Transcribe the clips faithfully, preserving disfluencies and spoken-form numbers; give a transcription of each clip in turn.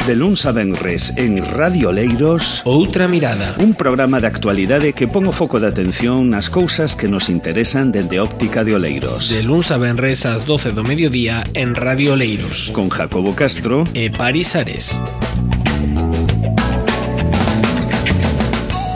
De luns a venres en Radio Oleiros, Outra Mirada, un programa de actualidade que pon o foco de atención nas cousas que nos interesan dende óptica de Oleiros. De luns a venres ás doce do mediodía en Radio Oleiros, con Jacobo Castro e Paris Ares.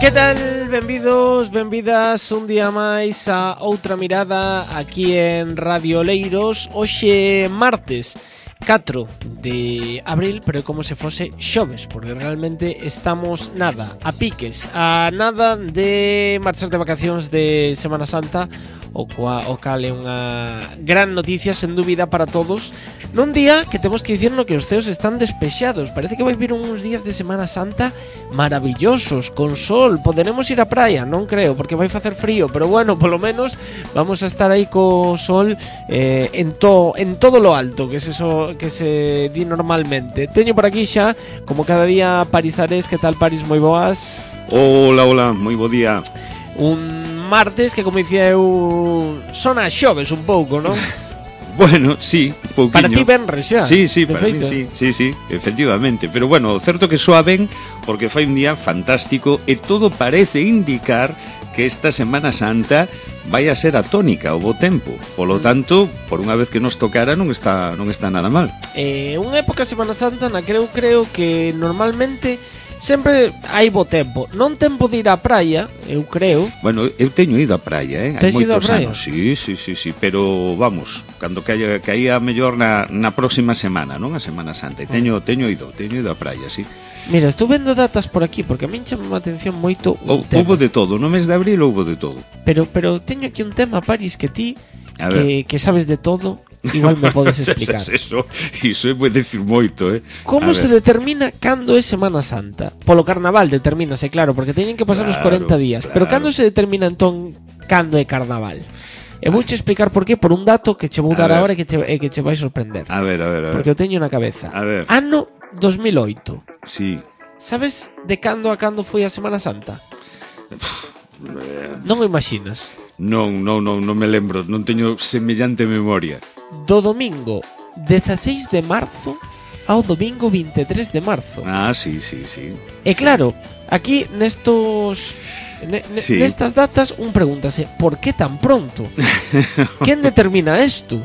Que tal? Benvidos, benvidas un día máis a Outra Mirada aquí en Radio Oleiros. Hoxe martes catro de abril, pero como se fose xoves, porque realmente estamos nada, a piques, a nada de marchar de vacacións de Semana Santa, o, cua, o cal é unha gran noticia, sen dúbida, para todos, nun día que temos que dicir no que os ceos están despexados. Parece que vai vir uns días de Semana Santa maravillosos, con sol. Poderemos ir á praia? Non creo, porque vai facer frío, pero bueno, polo menos vamos a estar aí co sol eh, en, to, en todo lo alto, que se, so, que se di normalmente. Teño por aquí xa, como cada día, Paris Ares. Que tal, Paris? Moi boas. Hola, hola, moi bo día. Un martes que, como dicía eu, son a xoves un pouco, non? Bueno, sí, un pouquiño. Para ti venres xa. Sí, sí, para feito. mí sí, sí, sí, efectivamente. Pero bueno, certo que soa ben, porque fai un día fantástico e todo parece indicar que esta Semana Santa vai a ser a tónica, o bo tempo. Polo tanto, por unha vez que nos tocara, non está non está nada mal. Eh, unha época Semana Santa na que eu creo que normalmente sempre hai bo tempo. Non tempo de ir á praia, eu creo. Bueno, eu teño ido á praia, eh? Tes Hai ido á moitos praia? anos. Sí, sí, sí, sí, pero vamos, cando caia caía mellor na, na próxima semana, non? A Semana Santa. E teño teño ido, teño ido á praia, sí. Mira, estou vendo datas por aquí, porque a min chama a atención moito un O, tema. houbo de todo, no mes de abril houbo de todo. Pero pero teño aquí un tema, Paris, que ti A que, que sabes de todo, igual me podes explicar. Eso, iso é decir moito, eh. Como A se ver. determina cando é Semana Santa? Polo carnaval determínase, claro, porque teñen que pasar Claro, os corenta días. claro. Pero cando se determina entón cando é carnaval? E vouche explicar por qué, por un dato que che vou A dar ver. agora e que che, e que che vai sorprender. A ver, a ver, a ver. Porque eu teño na cabeza. A ver. Ano dos mil oito. Sí. Sabes de cando a cando foi a Semana Santa? Non o imaginas. Non, non, non, non me lembro, non teño semellante memoria. Do domingo dezaseis de marzo ao domingo vinte e tres de marzo. Ah, sí, sí, sí. E claro, aquí nestos ne, ne, Sí. nestas datas un pregúntase, por que tan pronto? Quen determina isto?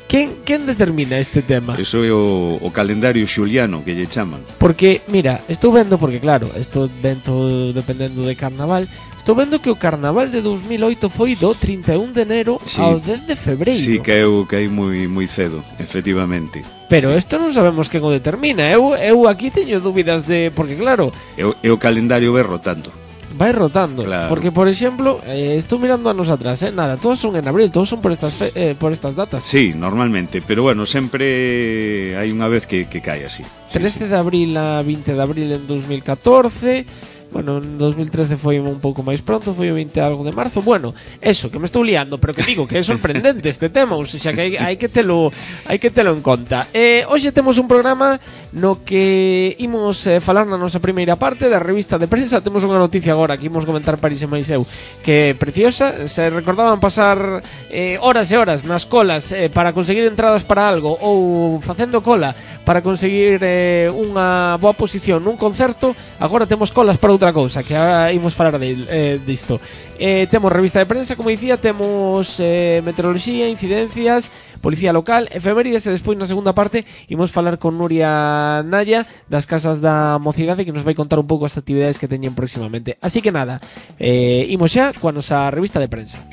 Quen, quen determina este tema? Eso é o, o calendario xuliano que lle chaman. Porque, mira, estou vendo, porque claro, estou vendo dependendo de carnaval, estou vendo que o carnaval de dos mil oito foi do trinta e un de enero Sí. ao dez de febreiro. Sí, caeu, caeu moi, moi cedo, efectivamente. Pero Sí. isto non sabemos quen o determina. Eu, eu aquí teño dúbidas de... Porque claro, E o, e o calendario vai rotando. vai rotando. Claro. Porque, por exemplo, eh, estou mirando anos atrás, eh, nada, todos son en abril, todos son por estas fe, eh, por estas datas. Sí, normalmente, pero bueno, sempre hai unha vez que, que cae así. Sí, trece de abril a vinte de abril en dos mil catorce. Bueno, en dos mil trece foi un pouco máis pronto, foi o vinte algo de marzo. Bueno, eso, que me estou liando, pero que digo que é sorprendente este tema, ou seja, que hai, hai que telo hai que telo en conta. Eh, hoxe temos un programa no que imos eh, falar na nosa primeira parte da revista de prensa. Temos unha noticia agora que imos comentar Paris e máis eu, que é preciosa. Se recordaban pasar eh, horas e horas nas colas eh, para conseguir entradas para algo, ou facendo cola para conseguir eh, unha boa posición nun concerto, agora temos colas para outra cousa, que agora imos falar de, eh, disto. Eh, temos revista de prensa, como dicía, temos eh, meteoroloxía, incidencias, policía local, efemérides, e despois na segunda parte imos falar con Nuria Naya das Casas da Mocidade, que nos vai contar un pouco as actividades que teñen próximamente. Así que nada, eh, imos xa coa nosa revista de prensa.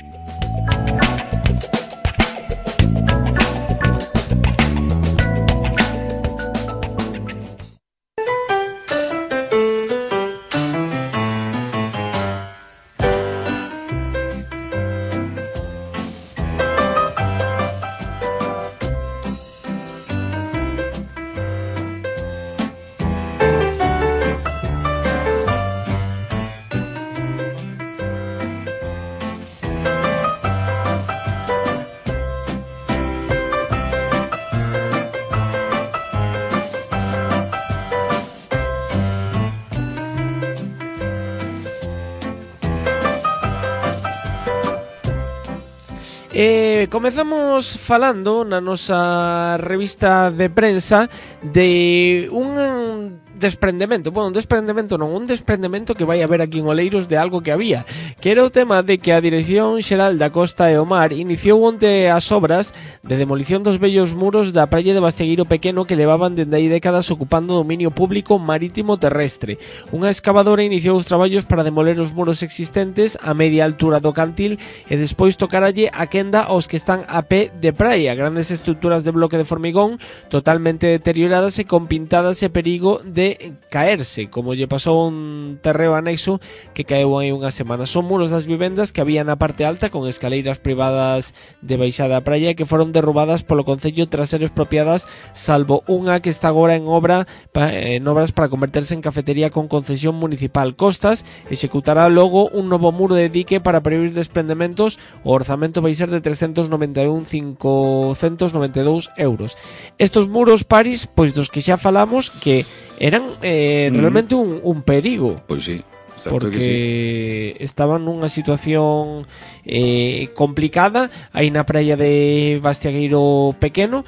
Eh, comezamos falando na nosa revista de prensa de un desprendemento, bueno, un desprendemento non, un desprendemento que vai haber aquí en Oleiros de algo que había, que era o tema de que a Dirección Xeral da Costa e o Mar iniciou onte as obras de demolición dos vellos muros da praia de Bastegueiro Pequeno que levaban dende hai décadas ocupando dominio público marítimo terrestre. Unha excavadora iniciou os traballos para demoler os muros existentes a media altura do cantil e despois tocaralle a quenda aos que están a pé de praia, grandes estruturas de bloque de formigón totalmente deterioradas e con pintadas e perigo de caerse, como lle pasou un terreo anexo que caeu hai unha semana. Son muros das vivendas que había na parte alta con escaleiras privadas de baixada a praia que foron derrubadas polo Concello tras ser expropiadas, salvo unha que está agora en obra en obras para converterse en cafetería con concesión municipal. Costas executará logo un novo muro de dique para prevenir desprendementos. O orzamento vai ser de trescentos noventa e un mil cincocentos noventa e dous euros. Estos muros, Paris, pois dos que xa falamos, que eran eh, realmente un, un perigo. Pois sí, porque que sí. Estaban nunha situación eh, complicada aí na praia de Bastegueiro Pequeno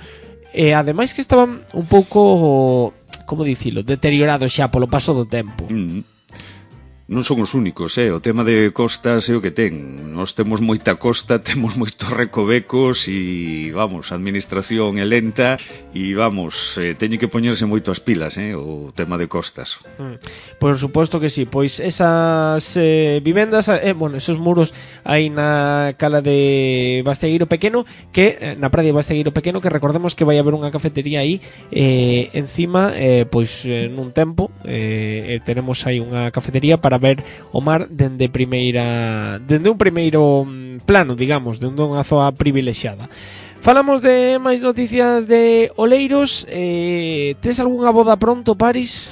e ademais que estaban un pouco, como dicilo, deteriorados xa polo paso do tempo. Mm. Non son os únicos, eh? O tema de costas é o que ten. Nós temos moita costa, temos moitos recovecos e, vamos, a administración é lenta e, vamos, eh, teñen que poñerse moito as pilas, eh? O tema de costas. Mm. Por suposto que sí, pois esas eh, vivendas, eh, bueno, esos muros aí na cala de Bastegueiro Pequeno, que eh, na praia de Bastegueiro Pequeno, que recordemos que vai haber unha cafetería aí eh, encima, eh, pois eh, nun tempo eh, tenemos aí unha cafetería para ver o mar dende primeira dende un primeiro plano, digamos, dende unha zoa privilexiada. Falamos de máis noticias de Oleiros. eh, tes algunha boda pronto, Paris?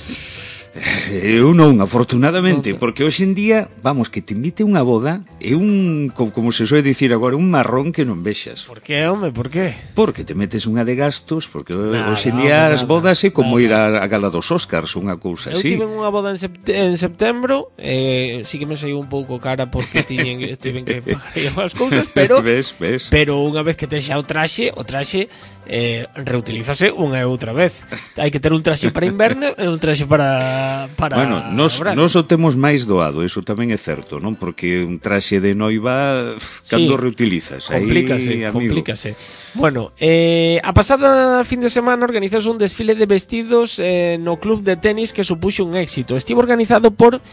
Eu non, afortunadamente, non te... porque hoxe en día, vamos, que te invite unha boda é un, como se soe dicir agora, un marrón que non vexas. Por que, home, por que? Porque te metes unha de gastos, porque nada, hoxe en día nada, as bodas é como nada. ir a, a gala dos Oscars, unha cousa Eu así. tive unha boda en, sept en septembro, eh, sí que me saiu un pouco cara porque tiñen, tiven que pagar as cousas, pero ves, ves. pero unha vez que tes xa o traxe, o traxe eh, reutilízase unha e outra vez. Hai que ter un traxe para inverno e un traxe para para Bueno, nos, nos o temos máis doado, eso tamén é certo, non? Porque un traxe de noiva, cando sí, reutilizas, complícase, aí, complícase. Bueno, eh, a pasada fin de semana organizouse un desfile de vestidos eh, no club de tenis que supuxo un éxito. Estivo organizado por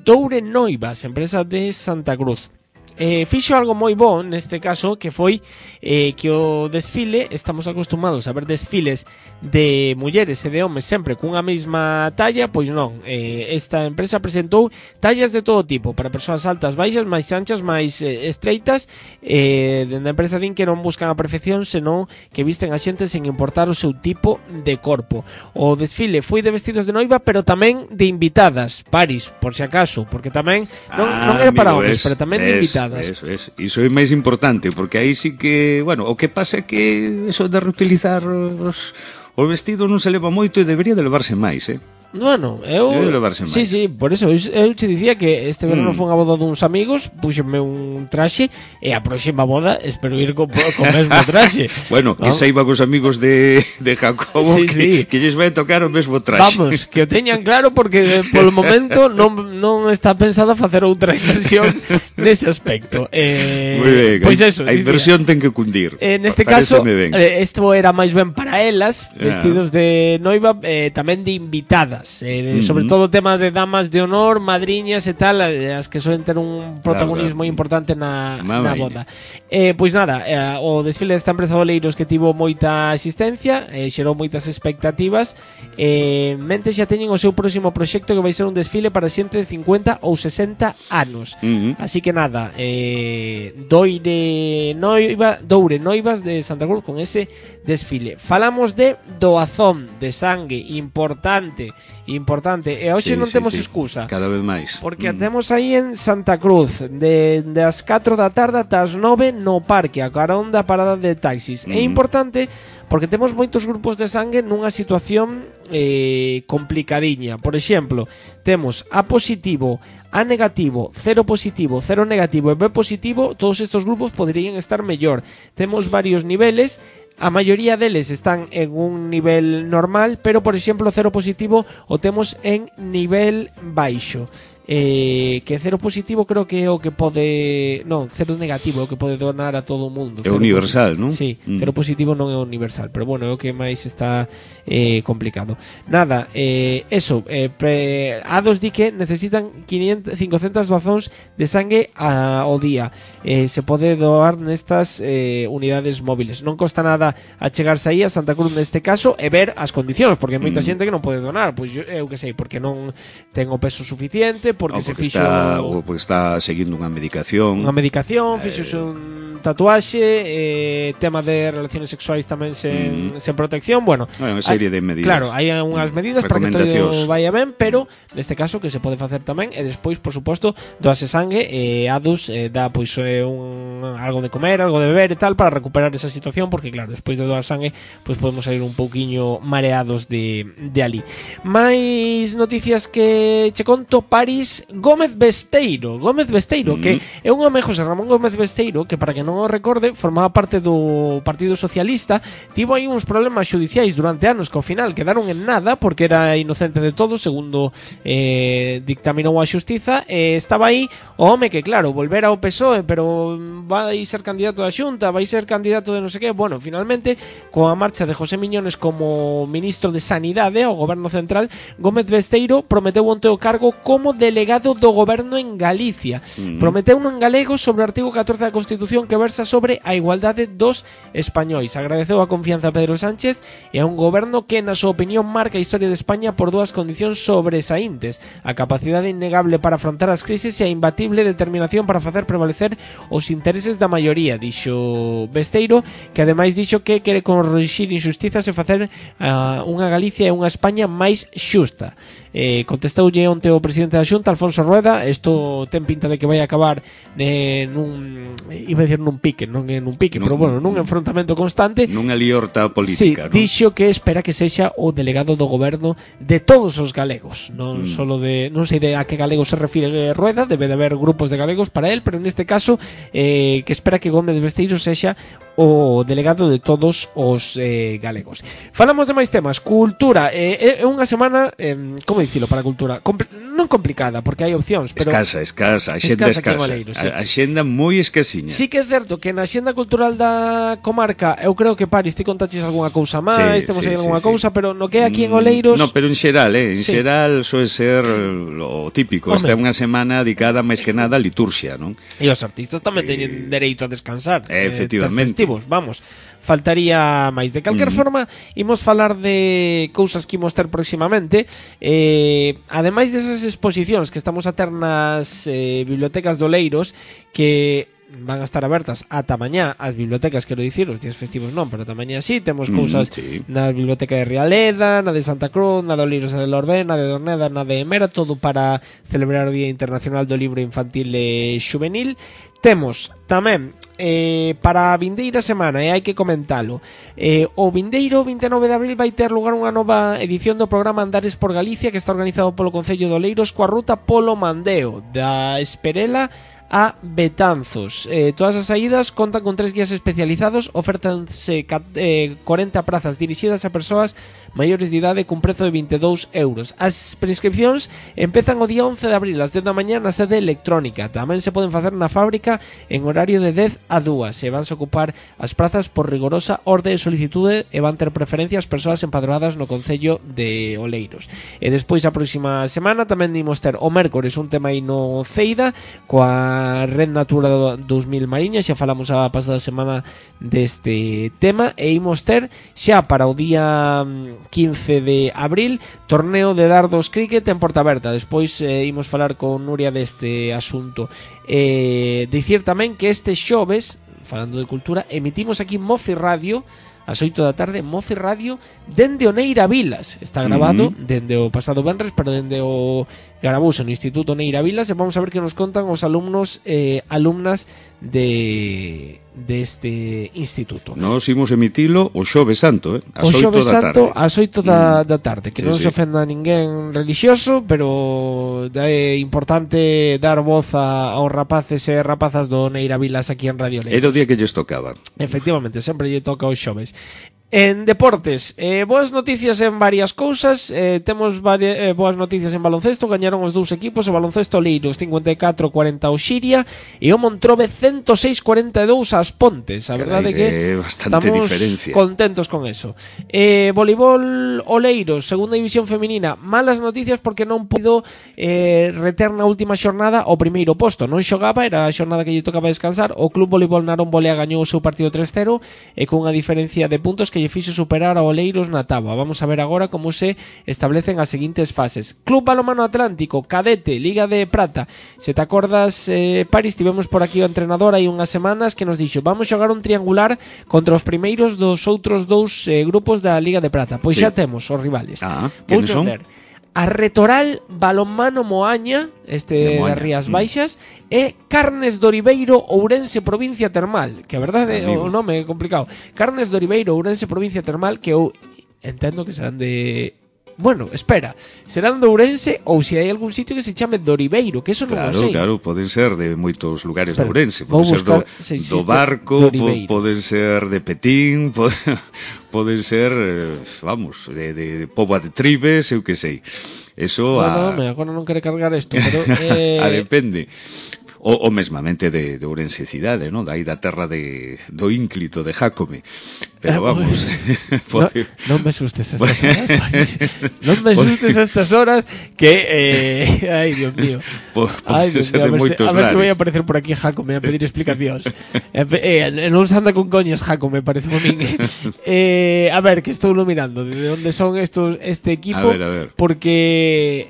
Doure Noivas, empresa de Santa Cruz. Eh, fixo algo moi bo neste caso, que foi eh, que o desfile, estamos acostumados a ver desfiles de mulleres e de homes sempre cunha mesma talla, pois non, eh, esta empresa presentou tallas de todo tipo, para persoas altas, baixas, máis anchas, máis eh, estreitas. eh, dende a empresa din que non buscan a perfección, senón que visten a xente sen importar o seu tipo de corpo. O desfile foi de vestidos de noiva, pero tamén de invitadas, Paris, por si acaso, porque tamén non, ah, non era para amigo, homes, es, pero tamén es, de invitadas. Eso, es. Iso é máis importante, porque aí sí que, bueno, o que pasa é que eso de reutilizar os, os vestidos non se leva moito e debería de levarse máis, eh? Bueno, eu sí, sí, por eso eu, eu te dicía que este verano mm. foi unha boda duns amigos, puxeme un traxe e a próxima boda espero ir co, co mesmo traxe. Bueno, ¿no? Que saiba cos amigos de, de Jacobo sí, que, sí. que lles vai tocar o mesmo traxe. Vamos, que o teñan claro porque polo momento non, non está pensada facer outra inversión nese aspecto. Eh, Muy ben, pois eso, a inversión ten que cundir. En este caso, isto era máis ben para elas, vestidos ah. de noiva, eh, tamén de invitadas. Eh, uh -huh. Sobre todo o tema de damas de honor, madriñas e tal, as que soen ter un protagonismo claro, claro. importante na, na boda. Eh, pois nada, eh, o desfile desta empresa de Oleiros que tivo moita asistencia, eh, xerou moitas expectativas, eh, mente xa teñen o seu próximo proxecto que vai ser un desfile para xente de cincuenta ou sesenta anos. Uh -huh. Así que nada, eh, Doire Noiva, Doure Noivas de Santa Cruz con ese desfile. Falamos de doazón de sangue importante importante. E hoxe sí, non sí, temos sí. excusa. Cada vez máis. Porque Mm. temos aí en Santa Cruz de, de as catro da tarde ata as nove no parque, a carón da parada de taxis. Mm. É importante porque temos moitos grupos de sangue nunha situación eh, complicadiña. Por exemplo, temos A positivo, A negativo, cero positivo, cero negativo e B positivo. Todos estes grupos poderían estar mellor. Temos varios niveles. A maioría deles están en un nivel normal, pero por exemplo cero positivo o temos en nivel baixo. Eh, que cero positivo creo que é o que pode, non, cero negativo é o que pode donar a todo o mundo. É universal, non? Sí, Mm. cero positivo non é universal, pero bueno, é o que máis está eh, complicado. Nada, eh, eso, eh, pre, A dos di que necesitan quinientas, cincocentas doazóns de sangue a, ao día. Eh, se pode doar nestas eh, unidades móviles. Non costa nada achegarse aí a Santa Cruz neste caso e ver as condicións, porque hai moita Mm. xente que non pode donar, pois eu, eu que sei, porque non ten o peso suficiente, porque, No, se porque fixo está, ou porque está seguindo unha medicación. unha medicación, fixose un tatuaxe, eh, tema de relaciones sexuais tamén sen, Mm. sen protección, bueno, Bueno, unha serie de medidas. claro, hai unhas medidas para que todo Recomendacións. vaya ben, pero neste caso que se pode facer tamén e despois, por suposto, doase sangue e A dos eh, dá pois eh, un algo de comer, algo de beber e tal para recuperar esa situación, porque claro, despois de doar sangue, pois podemos sair un pouquiño mareados de de ali. Mais noticias que che conto. París Gómez Besteiro, Gómez Besteiro, Mm. que é un home, José Ramón Gómez Besteiro, que para que non o recorde, formaba parte do Partido Socialista. Tivo aí uns problemas xudiciais durante anos que ao final quedaron en nada porque era inocente de todo, segundo eh, dictaminou a xustiza. E estaba aí o home que, claro, volver ao P S O E, pero vai ser candidato da Xunta, vai ser candidato de non sei que. Bueno, finalmente, coa marcha de José Miñones como ministro de Sanidade ao goberno central, Gómez Besteiro prometeu onte o cargo como delegado do goberno en Galicia. Mm. Prometeu un en galego sobre o artigo catorce da Constitución que versa sobre a igualdade dos españois. Agradeceu a confianza a Pedro Sánchez e a un goberno que, na súa opinión, marca a historia de España por dúas condicións sobresaíntes: a capacidade innegable para afrontar as crises e a imbatible determinación para facer prevalecer os intereses da maioría, dixo Besteiro, que ademais dixo que quere corrixir injustizas e facer uh, unha Galicia e unha España máis xusta. Eh, contestoulle onte o presidente da Xunta, Alfonso Rueda. Isto ten pinta de que vai acabar eh, nun, iba a decir nun pique, non en un pique, Nun- pero bueno, nun enfrontamento constante. Nunha liorta Sí, política, non? dixo que espera que sexa o delegado do goberno de todos os galegos, non Mm. solo de, non sei de a que galego se refire Rueda, debe de haber grupos de galegos para él, pero neste caso eh, que espera que Gómez Besteiro sexa o delegado de todos os eh, galegos. Falamos de máis temas. Cultura, eh, é unha semana, eh, como dicilo para a cultura, Compl non complicada, porque hai opcións, pero Escasa, escasa, a xenda Escasa aquí en escasa. Oleiros, sí. A, a xenda moi escasiña. sí que é certo que na xenda cultural da comarca, eu creo que Paris ti contaches algunha cousa máis, Sí, temos sí, aí algunha sí, cousa, sí. pero no que é aquí en Mm, Oleiros. No, pero en xeral, eh, en Sí. xeral soe ser lo típico. Home. Esta é unha semana dedicada máis que nada á liturxia, non? E os artistas tamén Eh, teñen dereito a descansar, eh, efectivamente. ter festivos, vamos. Faltaría máis. De calquer Mm. forma, imos falar de cousas que imos ter próximamente. Eh, ademais desas exposicións que estamos a ter nas eh, bibliotecas de Oleiros, que van a estar abertas ata mañá, as bibliotecas, quero dicir, os días festivos non, pero ata mañá sí, temos Mm, cousas sí. na biblioteca de Rialeda, na de Santa Cruz, na de Oleiros e de Lorbén, na de Dorneda, na de Emera, todo para celebrar o Día Internacional do Libro Infantil e Xuvenil. Temos tamén eh, para a vindeira semana, e hai que comentalo, eh, o vindeiro vinte e nove de abril vai ter lugar unha nova edición do programa Andares por Galicia, que está organizado polo Concello de Oleiros coa ruta Polo Mandeo da Esperela a Betanzos. Eh, todas as saídas contan con tres guías especializados, ofértanse eh, cuarenta prazas dirixidas a persoas maiores de idade cun prezo de vinte e dous euros. As prescripcións empezan o día once de abril ás dez da mañá na sede electrónica. Tamén se poden facer na fábrica en horario de dez a dúas. Se vanse ocupar as prazas por rigorosa orde de solicitude e van ter preferencia as persoas empadroadas no Concello de Oleiros. E despois a próxima semana tamén dimos ter o mércores un tema aí no Ceida coa Red Natura dos mil Mariñas. Xa falamos a pasada semana deste tema e imos ter xa para o día quince de abril torneo de dardos cricket en Porta Aberta. Despois eh, imos falar con Nuria deste asunto. Eh, dicir tamén que este xoves, falando de cultura, emitimos aquí Mofi Radio ás oito da tarde, Moce Radio dende Oneira Vilas. Está grabado uh-huh. dende o pasado venres, pero dende o gravouse no Instituto Neira Vilas, e vamos a ver que nos contan os alumnos eh, alumnas de deste instituto. Nos imos emitilo o Xoves Santo, eh? As o Xoves Santo ás oito da, mm. da tarde, que sí, non sí. se ofenda a ninguén religioso, pero é importante dar voz a, aos rapaces e rapazas do Neira Vilas aquí en Radio Leiro. Era o día que lles tocaba. Efectivamente, sempre lle toca os xoves. En deportes, eh, boas noticias en varias cousas. eh, Temos varias, eh, boas noticias en baloncesto. Gañaron os dous equipos, o baloncesto Leiros cincuenta e catro a cuarenta ao Xiria e o Montrobe ciento seis a cuarenta e dous ás Pontes. A verdade é que bastante estamos diferencia. contentos con eso. eh, Voleibol Oleiros, segunda división feminina. Malas noticias porque non puido eh, reter na última xornada o primeiro posto. Non xogaba, era a xornada que lle tocaba descansar. O Club Voleibol Narón Bolea gañou o seu partido tres cero e cunha diferencia de puntos que lle fixo superar a Oleiros na táboa. Vamos a ver agora como se establecen as seguintes fases. Club Balonmano Atlántico, Cadete, Liga de Prata. Se te acordas, eh, Paris, tivemos por aquí o entrenador hai unhas semanas que nos dixo: vamos xogar un triangular contra os primeiros dos outros dous eh, grupos da Liga de Prata. Pois sí. Xa temos os rivales. Ah, ¿quiénes son? Ver. A Retoral Balonmano Moaña, este das Rías Baixas, mm. e Carnes de Oribeiro Ourense Provincia Termal, que a verdade é o nome é complicado. Carnes de Oribeiro Ourense Provincia Termal, que eu entendo que serán de... Bueno, espera, serán de Ourense ou se hai algún sitio que se chame de Oribeiro, que eso non claro, o sei. Claro, poden ser de moitos lugares espera, de Ourense, poden ser do, do Barco, po, poden ser de Petín, poden, poden ser, vamos, de, de, de Póvoa de Tribes, eu que sei. Eso bueno, a... me agora non quere cargar isto, pero... Eh... a depende. O, o mesmamente de, de Ourense cidade, non? Dai da terra de, do ínclito de Jácome. Pero vamos, pode... no, non me sustes a estas horas, Paris. Non me sustes a estas horas que eh... ai, Dios mío. Pode Ay, Dios ser mío, de moitos lares. A ver se vai a aparecer por aquí Jácome a pedir explicacións. eh, eh, non se anda con coñas Jácome, parece a min. Eh, a ver, que estou mirando de onde son estos este equipo, a ver, a ver. Porque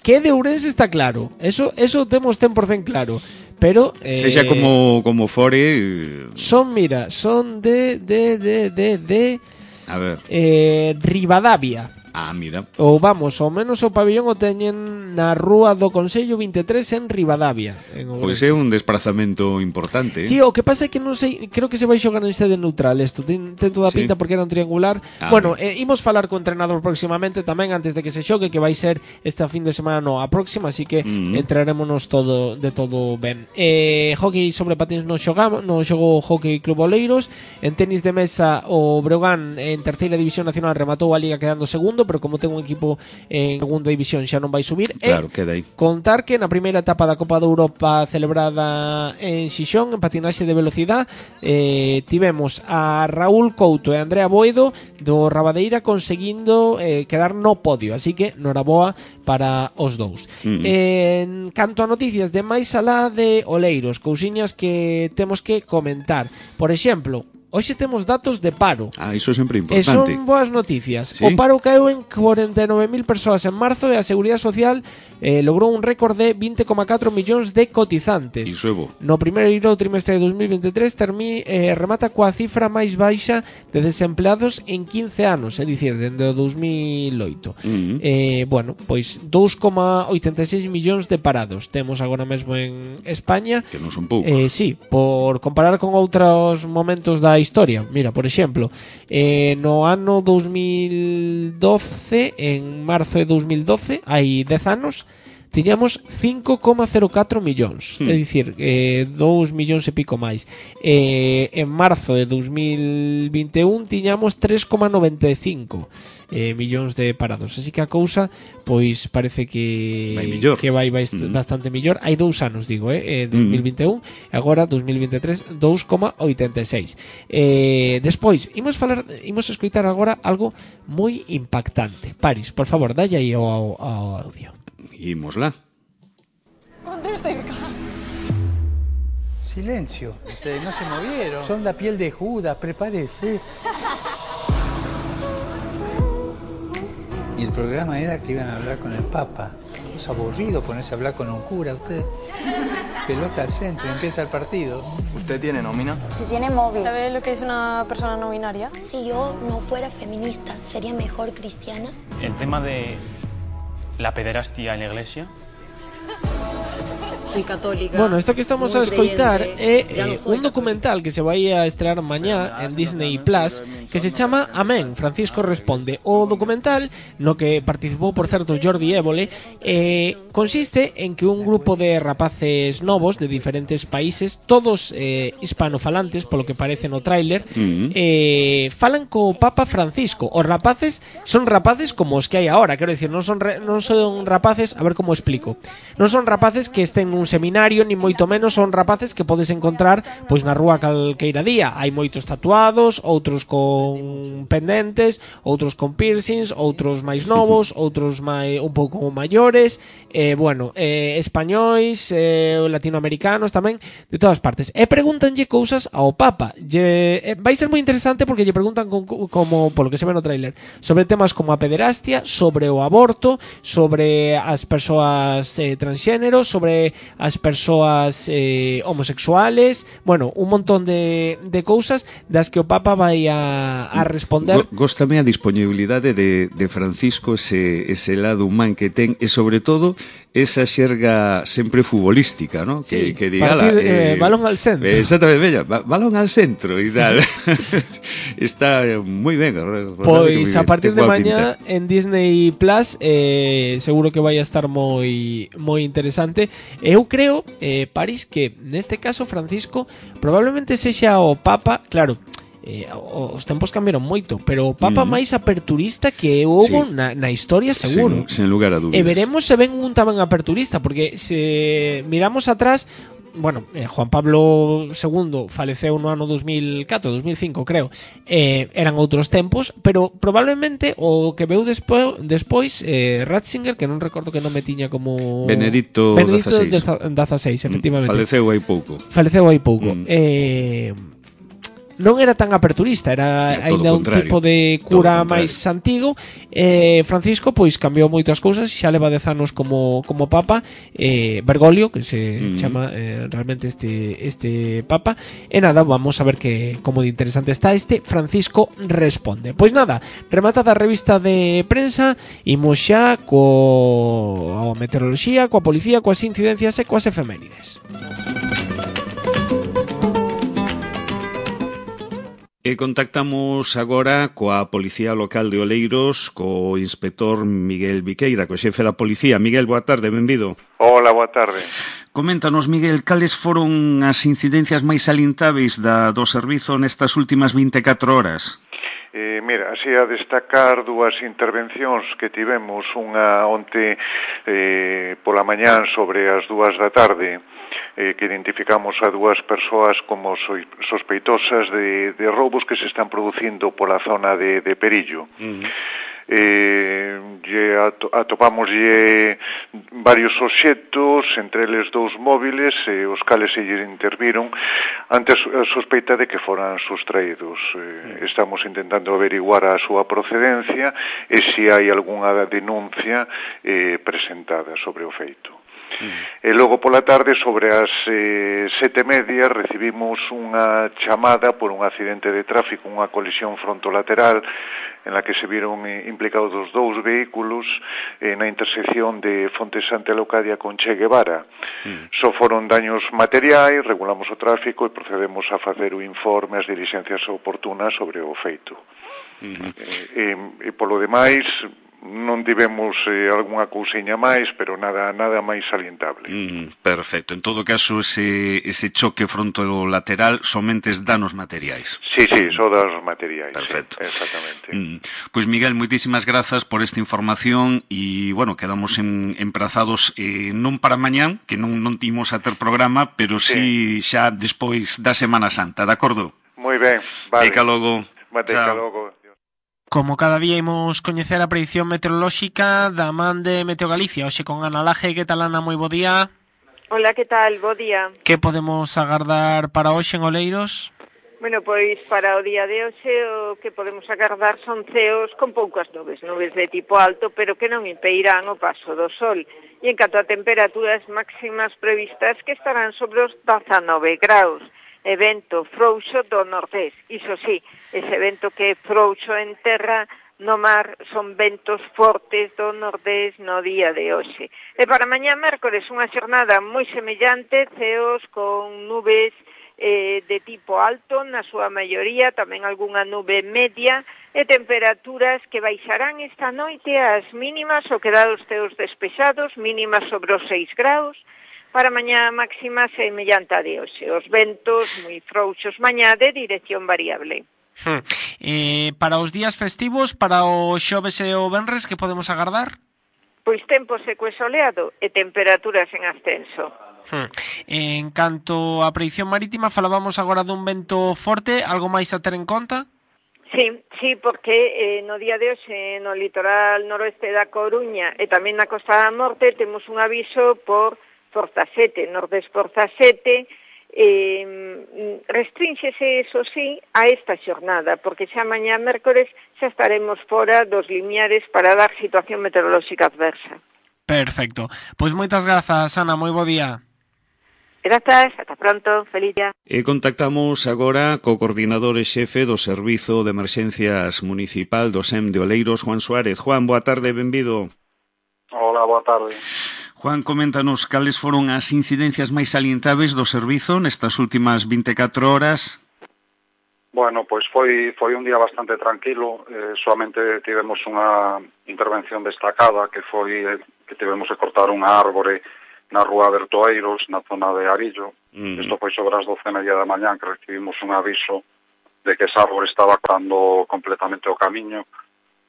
que de Ourense está claro. Eso eso temos cen por cento claro. Pero eh, sexa como como fore, son, mira, son de de de de de a ver. Eh, Ribadavia. Ah, mira. Ou vamos, ao menos o pabillón o teñen na Rúa do Consello vinte e tres en Ribadavia. Pois é un desplazamento importante. Sí, o que pasa é que non sei, creo que se vai xogar en sede neutral isto, ten, ten toda a pinta sí. Porque era un triangular. Ah, bueno, eh, imos falar co entrenador próximamente tamén antes de que se xogue, que vai ser esta fin de semana no, a próxima, así que mm. entrarémonos todo de todo ben. Eh, hockey sobre patins no xogamos, no xogou o Hockey Club Oleiros. En tenis de mesa o Breogán en terceira división nacional rematou a liga quedando segundo, pero como ten un equipo en segunda división xa non vai subir. Claro, e queda aí. Contar que na primeira etapa da Copa de Europa celebrada en Xixón, en patinaxe de velocidade, eh, tivemos a Raúl Couto e Andrea Boedo do Rabadeira conseguindo eh, quedar no podio, así que noraboa para os dous. Mm. En canto a noticias de máis alá de Oleiros, cousiñas que temos que comentar. Por exemplo, hoxe temos datos de paro. Ah, iso é sempre importante. E son boas noticias. ¿Sí? O paro caeu en cuarenta e nove mil persoas en marzo e a Seguridade Social eh, logrou un récord de vinte coma catro millóns de cotizantes. Iso é bo. No primeiro trimestre de dos mil vinte e tres termi, eh, remata coa cifra máis baixa de desempleados en quince anos, é dicir, dende o dos mil oito. Uh-huh. eh, bueno, pois dous coma oitenta e seis millóns de parados temos agora mesmo en España. Que non son poucos. Eh, sí, por comparar con outros momentos da historia. Mira, por exemplo, eh, no ano dos mil doce, en marzo de dos mil doce, hai dez anos, tiñamos cinco coma cero catro millóns, hmm. é dicir, eh, dous millóns e pico máis. Eh, en marzo de dos mil vinte e un tiñamos tres coma noventa e cinco eh, millóns de parados, así que a cousa pois parece que vai millor. Que vai, vai mm. bastante millor. Hai dous anos, digo, eh, dos mil vinte e un, mm. agora dos mil vinte e tres dous coma oitenta e seis. Eh, despois, imos falar, imos escoitar agora algo moi impactante. Paris, por favor, dalle aí ao, ao, ao audio. Imosla. Contesta acá. Silencio. Ustedes no se movieron. Son la piel de Judas, prepárese. Y el programa era que iban a hablar con el Papa. Es aburrido ponerse a hablar con un cura, usted. pelota al centro, empieza el partido. ¿Usted tiene nómina? Si tiene móvil. ¿Sabe lo que es una persona no binaria? Si yo no fuera feminista, ¿sería mejor cristiana? El tema de la pederastia en la iglesia. Soy católica. Bueno, esto que estamos a escoitar é no eh, un documental que se vai a estrear mañá en Disney Plus que se chama Amén, Francisco responde. O documental, no que participou, por certo, Jordi Évole, eh, consiste en que un grupo de rapaces novos de diferentes países, todos eh, hispanofalantes, polo que parece no tráiler, uh-huh. eh, falan co Papa Francisco. Os rapaces son rapaces como os que hai ahora, quero dicir, non son, re, non son rapaces, a ver como explico, non son rapaces que estén un seminario, ni moito menos, son rapaces que podes encontrar pois na rúa calqueira día. Hai moitos tatuados, outros con pendentes, outros con piercings, outros máis novos, outros máis un pouco maiores, eh, bueno, eh, españois, eh, latinoamericanos tamén, de todas partes. E pregúntanlle cousas ao Papa. Lle, eh, vai ser moi interesante porque lle preguntan con, como, polo que se ve no tráiler, sobre temas como a pederastia, sobre o aborto, sobre as persoas eh, transxénero, sobre as persoas eh, homosexuales, bueno, un montón de, de cousas das que o Papa vai a, a responder. Góstame a disponibilidade de, de Francisco, ese, ese lado humán que ten, e sobre todo esa xerga sempre futbolística, ¿no? Sí, que, que digala, partido, eh, balón al centro. Eh, exactamente, bella, balón al centro e tal. Está moi ben. Pois a partir de mañá en Disney Plus eh, seguro que vai a estar moi moi interesante. Eu creo, eh, París, que neste caso Francisco probablemente sexa o Papa, claro, eh, os tempos cambiaron moito, pero o Papa mm. máis aperturista que houbo sí. na, na historia, seguro. Sen, sen lugar a dúbidas. E veremos se ven un tamén aperturista, porque se miramos atrás, bueno, eh, Juan Pablo segundo faleceu no ano dos mil catro, dos mil cinco, creo. Eh, eran outros tempos, pero probablemente o que veu despo, despois eh, Ratzinger, que non recordo que non me tiña como Benedicto dezaseis, efectivamente. Faleceu hai pouco. Faleceu hai pouco. Mm. Eh non era tan aperturista, era aínda un tipo de cura máis antigo. eh, Francisco pois cambiou moitas cousas, xa leva dez anos como, como Papa. eh, Bergoglio, que se mm. chama eh, realmente este, este Papa. E nada, vamos a ver que como de interesante está este Francisco responde. Pois nada, rematada a revista de prensa, imos xa coa meteoroloxía, coa policía, coas incidencias e coas efemérides. E contactamos agora coa Policía Local de Oleiros, co inspector Miguel Viqueira, co xefe da Policía. Miguel, boa tarde, benvido. Hola, boa tarde. Coméntanos, Miguel, cales foron as incidencias máis salientáveis da, do servizo nestas últimas vinte e catro horas? Eh, mira, así a destacar dúas intervencións que tivemos, unha onte eh, pola mañán sobre as dúas da tarde, eh, que identificamos a dúas persoas como sospeitosas de, de roubos que se están producindo pola zona de, de Perillo. Uh-huh. Eh, lle atopamos lle varios obxectos, entre eles dous móviles, eh, os cales se lle interviron ante a sospeita de que foran sustraídos. Eh, estamos intentando averiguar a súa procedencia e se hai algunha denuncia eh, presentada sobre o feito. Mm. E logo pola tarde, sobre as eh, sete e media, recibimos unha chamada por un accidente de tráfico, unha colisión frontolateral en la que se viron eh, implicados os dous vehículos eh, na intersección de Fonte Santa Leocadia con Che Guevara. Mm. Só foron daños materiais, regulamos o tráfico e procedemos a facer o informe, as diligencias oportunas sobre o feito. Mm-hmm. eh, e, e polo demais non tivemos eh, algunha cousiña máis, pero nada nada máis salientable. Mm, perfecto. En todo caso, ese, ese choque frontolateral somente es danos materiais. Sí, sí, só danos materiais. Perfecto. Sí, exactamente. Mm. Pois, pues, Miguel, moitísimas grazas por esta información e, bueno, quedamos en, emprazados eh, non para mañán, que non, non timos a ter programa, pero sí, sí xa despois da Semana Santa, de acordo? Moi ben, vale. Eca logo. Eca logo. Como cada día imos coñecer a predicción meteorolóxica da man de Meteo Galicia, hoxe con Ana Laje. Que tal, Ana? Moi bo día. Hola, que tal? Bo día. Que podemos agardar para hoxe en Oleiros? Bueno, pois para o día de hoxe o que podemos agardar son ceos con poucas nubes, nubes de tipo alto, pero que non impedirán o paso do sol. E en canto a temperaturas máximas previstas que estarán sobre os dezanove graus, e vento frouxo do nordés. Iso sí, ese vento que é frouxo en terra, no mar son ventos fortes do nordés no día de hoxe. E para mañá mércores unha xornada moi semellante, ceos con nubes eh, de tipo alto, na súa maioría, tamén algunha nube media, e temperaturas que baixarán esta noite as mínimas, o quedar os ceos despexados, mínimas sobre os seis graus, para mañá máxima semellante a de hoxe. Os ventos moi frouxos mañá de dirección variable. Hmm. Eh, para os días festivos, para o xoves e o venres, que podemos agardar? Pois tempo seco e soleado e temperaturas en ascenso. Hmm. En canto á predicción marítima, falábamos agora dun vento forte, algo máis a ter en conta? Sí, sí, porque eh, no día de hoxe no litoral noroeste da Coruña e tamén na Costa da Morte temos un aviso por forza sete, nordés forza sete, eh, restrínxese, eso sí, a esta xornada, porque xa mañá mércores xa estaremos fora dos limiares para dar situación meteorolóxica adversa. Perfecto. Pois moitas grazas, Ana, moi bo día. Grazas, ata pronto, feliz día. E contactamos agora co coordinador e xefe do Servizo de Emerxencias Municipal do S E M de Oleiros, Juan Suárez. Juan, boa tarde, benvido. Hola, boa tarde. Juan, coméntanos cales foron as incidencias máis salientáveis do servizo nestas últimas vinte e catro horas. Bueno, pois foi foi un día bastante tranquilo, eh, solamente tivemos unha intervención destacada que foi eh, que tivemos que cortar unha árbore na rúa Bertoeiros, na zona de Arillo. Mm. Isto foi sobre as doce e media da mañán que recibimos un aviso de que esa árbore estaba cortando completamente o camiño.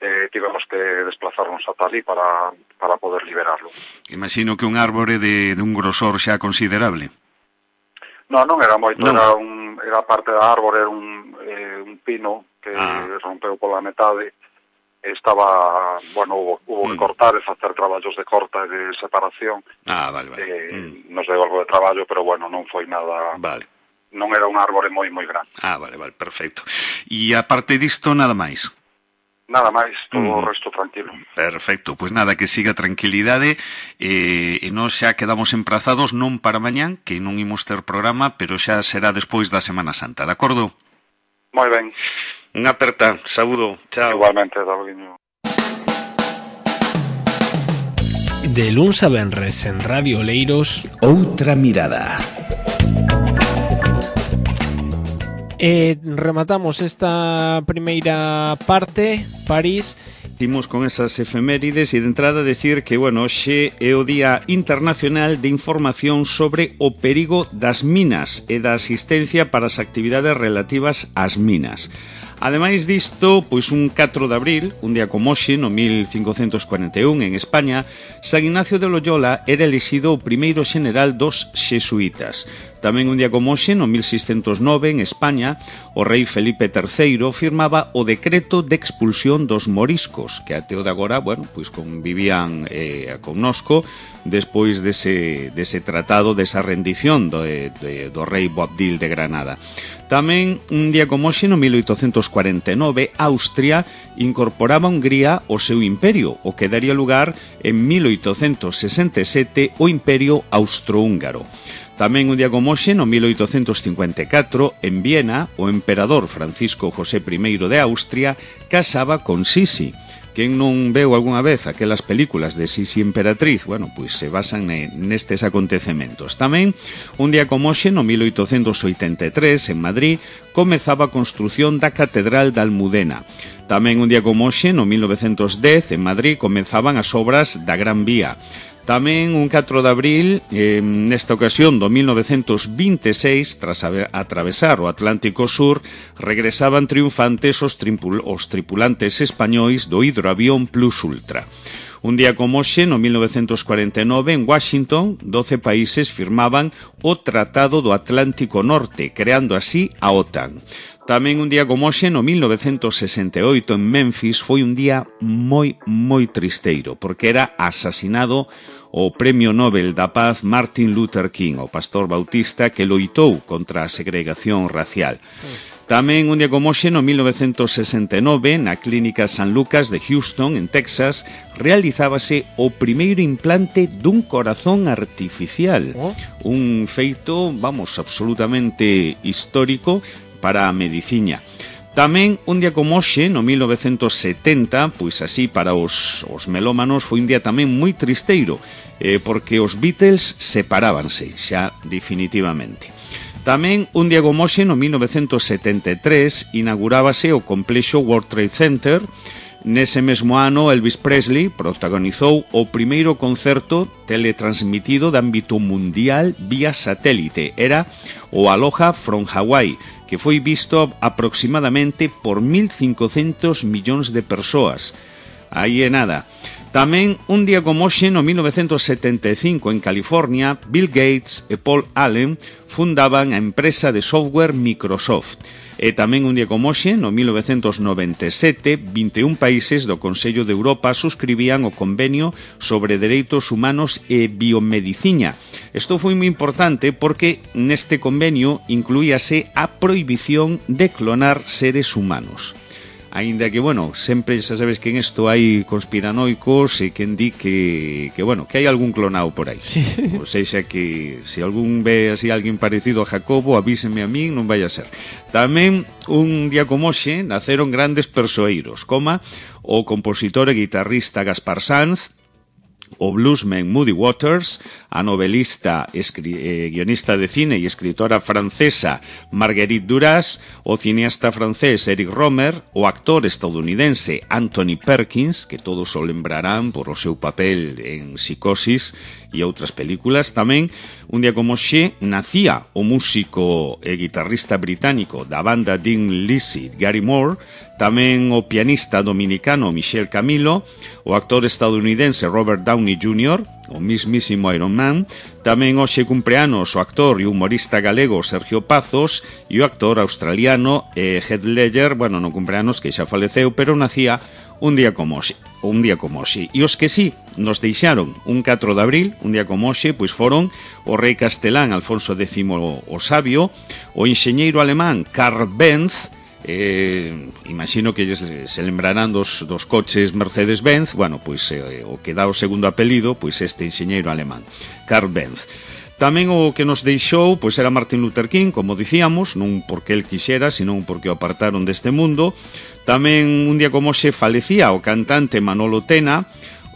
Eh, tivemos que desplazarnos ata ali para, para poder liberarlo. Imagino que un árbore de, de un grosor xa considerable. No, non era moito, non. era un era parte da árbore, era un, eh, un pino que ah. rompeu pola metade. Estaba, bueno, hubo, hubo mm. que cortar e facer traballos de corta e de separación. Ah, vale, vale. Eh, mm. Nos deu algo de traballo, pero bueno, non foi nada... Vale. Non era un árbore moi, moi grande. Ah, vale, vale, perfecto. E aparte disto, nada máis? Nada máis, todo mm. o resto tranquilo. Perfecto, pois nada, que siga tranquilidade eh, e nós xa quedamos emprazados non para mañán, que non imos ter programa, pero xa será despois da Semana Santa, de acordo? Moi ben. Unha aperta, saúdo, chao. Igualmente, Daviño. De luns a venres en Radio Oleiros, Outra Mirada. E rematamos esta primeira parte, París. Imos con esas efemérides e de entrada decir que, bueno, hoxe é o Día Internacional de Información sobre o perigo das minas e da asistencia para as actividades relativas ás minas. Ademais disto, pois un catro de abril, un día como hoxe, no mil cincocentos cuarenta e un, en España, San Ignacio de Loyola era elixido o primeiro xeneral dos xesuítas. Tamén un día como hoxe, no mil seiscentos nove, en España, o rei Felipe terceiro firmaba o decreto de expulsión dos moriscos, que até o de agora, bueno, pois convivían eh, connosco despois dese, dese tratado, desa rendición do, de, do rei Boabdil de Granada. Tamén, un día como hoxe, no mil oitocentos cuarenta e nove, Austria incorporaba a Hungría ao seu imperio, o que daría lugar en mil oitocentos sesenta e sete o Imperio Austrohúngaro. Tamén un día como hoxe, no mil oitocentos cincuenta e catro, en Viena, o emperador Francisco José I de Austria casaba con Sisi. Quen non veu algunha vez aquelas películas de Sisi Emperatriz? Bueno, pois se basan nestes acontecementos. Tamén, un día como hoxe, no mil oitocentos oitenta e tres, en Madrid, comezaba a construción da Catedral da Almudena. Tamén un día como hoxe, no mil novecentos dez, en Madrid, comenzaban as obras da Gran Vía. Tamén un catro de abril, eh, nesta ocasión do mil novecentos vinte e seis, tras atravesar o Atlántico Sur, regresaban triunfantes os, tripul os tripulantes españois do hidroavión Plus Ultra. Un día como hoxe, no mil novecentos cuarenta e nove, en Washington, doce países firmaban o Tratado do Atlántico Norte, creando así a OTAN. Tamén un día como hoxe, no mil novecentos sesenta e oito, en Memphis, foi un día moi, moi tristeiro, porque era asasinado o Premio Nobel da Paz Martin Luther King, o pastor bautista que loitou contra a segregación racial. Tamén un día como hoxe, no mil novecentos sesenta e nove, na Clínica San Lucas de Houston, en Texas, realizábase o primeiro implante dun corazón artificial. Oh. Un feito, vamos, absolutamente histórico para a medicina. Tamén, un día como hoxe, no mil novecentos setenta, pois así para os, os melómanos, foi un día tamén moi tristeiro, eh, porque os Beatles separábanse, xa definitivamente. Tamén, un día como hoxe, no mil novecentos setenta e tres, inaugurábase o complexo World Trade Center. Nese mesmo ano, Elvis Presley protagonizou o primeiro concerto teletransmitido de ámbito mundial vía satélite. Era o Aloha from Hawaii, que foi visto aproximadamente por mil cincocentos millóns de persoas. Aí é nada. Tamén, un día como hoxe, no mil novecentos setenta e cinco, en California, Bill Gates e Paul Allen fundaban a empresa de software Microsoft. E tamén un día como hoxe, no mil novecentos noventa e sete, vinte e un países do Consello de Europa suscribían o convenio sobre dereitos humanos e biomedicina. Isto foi moi importante porque neste convenio incluíase a prohibición de clonar seres humanos. Aínda que, bueno, sempre xa sabes que en isto hai conspiranoicos e quen di que, que, bueno, que hai algún clonado por aí. Sí. O seja que se algún ve así alguén parecido a Jacobo, avíseme a min, non vai a ser. Tamén, un día como hoxe, naceron grandes persoeiros, como o compositor e guitarrista Gaspar Sanz, o bluesman Muddy Waters, a novelista, eh, guionista de cine e escritora francesa Marguerite Duras, o cineasta francés Eric Romer, o actor estadounidense Anthony Perkins, que todos o lembrarán por o seu papel en Psicosis e outras películas. Tamén, un día como hoxe, nacía o músico e guitarrista británico da banda Dean Lizzy, Gary Moore, tamén o pianista dominicano Michel Camilo, o actor estadounidense Robert Downey júnior, o mismísimo Iron Man, tamén hoxe cumpleanos o actor e humorista galego Sergio Pazos e o actor australiano eh, Heath Ledger, bueno, no cumpleanos que xa faleceu, pero nacía un día como hoxe, un día como hoxe. E os que sí nos deixaron un catro de abril, un día como hoxe, pois foron o rei castelán Alfonso X o Sabio, o enxeñeiro alemán Karl Benz, eh, imagino que se lembrarán dos, dos coches Mercedes-Benz, bueno, pois eh, o que dá o segundo apelido, pois este enxeñeiro alemán, Karl Benz. Tamén o que nos deixou pois era Martin Luther King, como dicíamos, non porque el quixera, senón porque o apartaron deste mundo. Tamén un día como hoxe falecía o cantante Manolo Tena,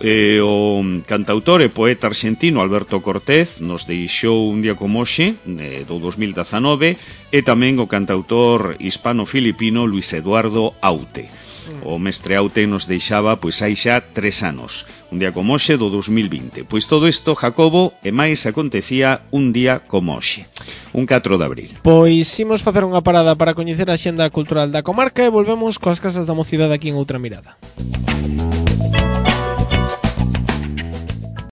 eh, o cantautor e poeta argentino Alberto Cortés nos deixou un día como hoxe, eh, do dos mil dezanove, e tamén o cantautor hispano-filipino Luis Eduardo Aute. O mestre Aute nos deixaba pois hai xa tres anos, un día como hoxe do dos mil vinte. Pois todo isto, Jacobo, e máis acontecía un día como hoxe, un catro de abril. Pois imos facer unha parada para coñecer a xenda cultural da comarca e volvemos coas casas da mocidade aquí en Outra Mirada.